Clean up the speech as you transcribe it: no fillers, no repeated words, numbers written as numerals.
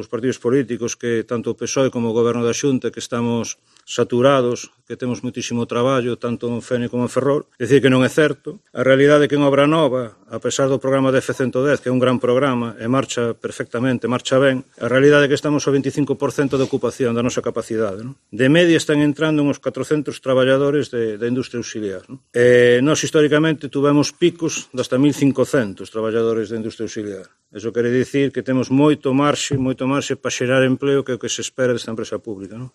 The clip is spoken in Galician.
polos partidos políticos que tanto o PSOE como o Goberno da Xunta que estamos saturados, que temos moitísimo traballo tanto en Fene como en Ferrol, decir que non é certo. A realidade é que en Obra Nova, a pesar do programa de F110, que é un gran programa e marcha perfectamente, marcha ben, a realidade é que estamos ao 25% de ocupación da nosa capacidade. Non? De media están entrando uns 400 traballadores da industria auxiliar. Non? Nós históricamente tuvemos picos de hasta 1.500 traballadores da industria auxiliar. Eso quere dicir que temos moito marxe para xerar empleo que é o que se espera desta empresa pública. Non?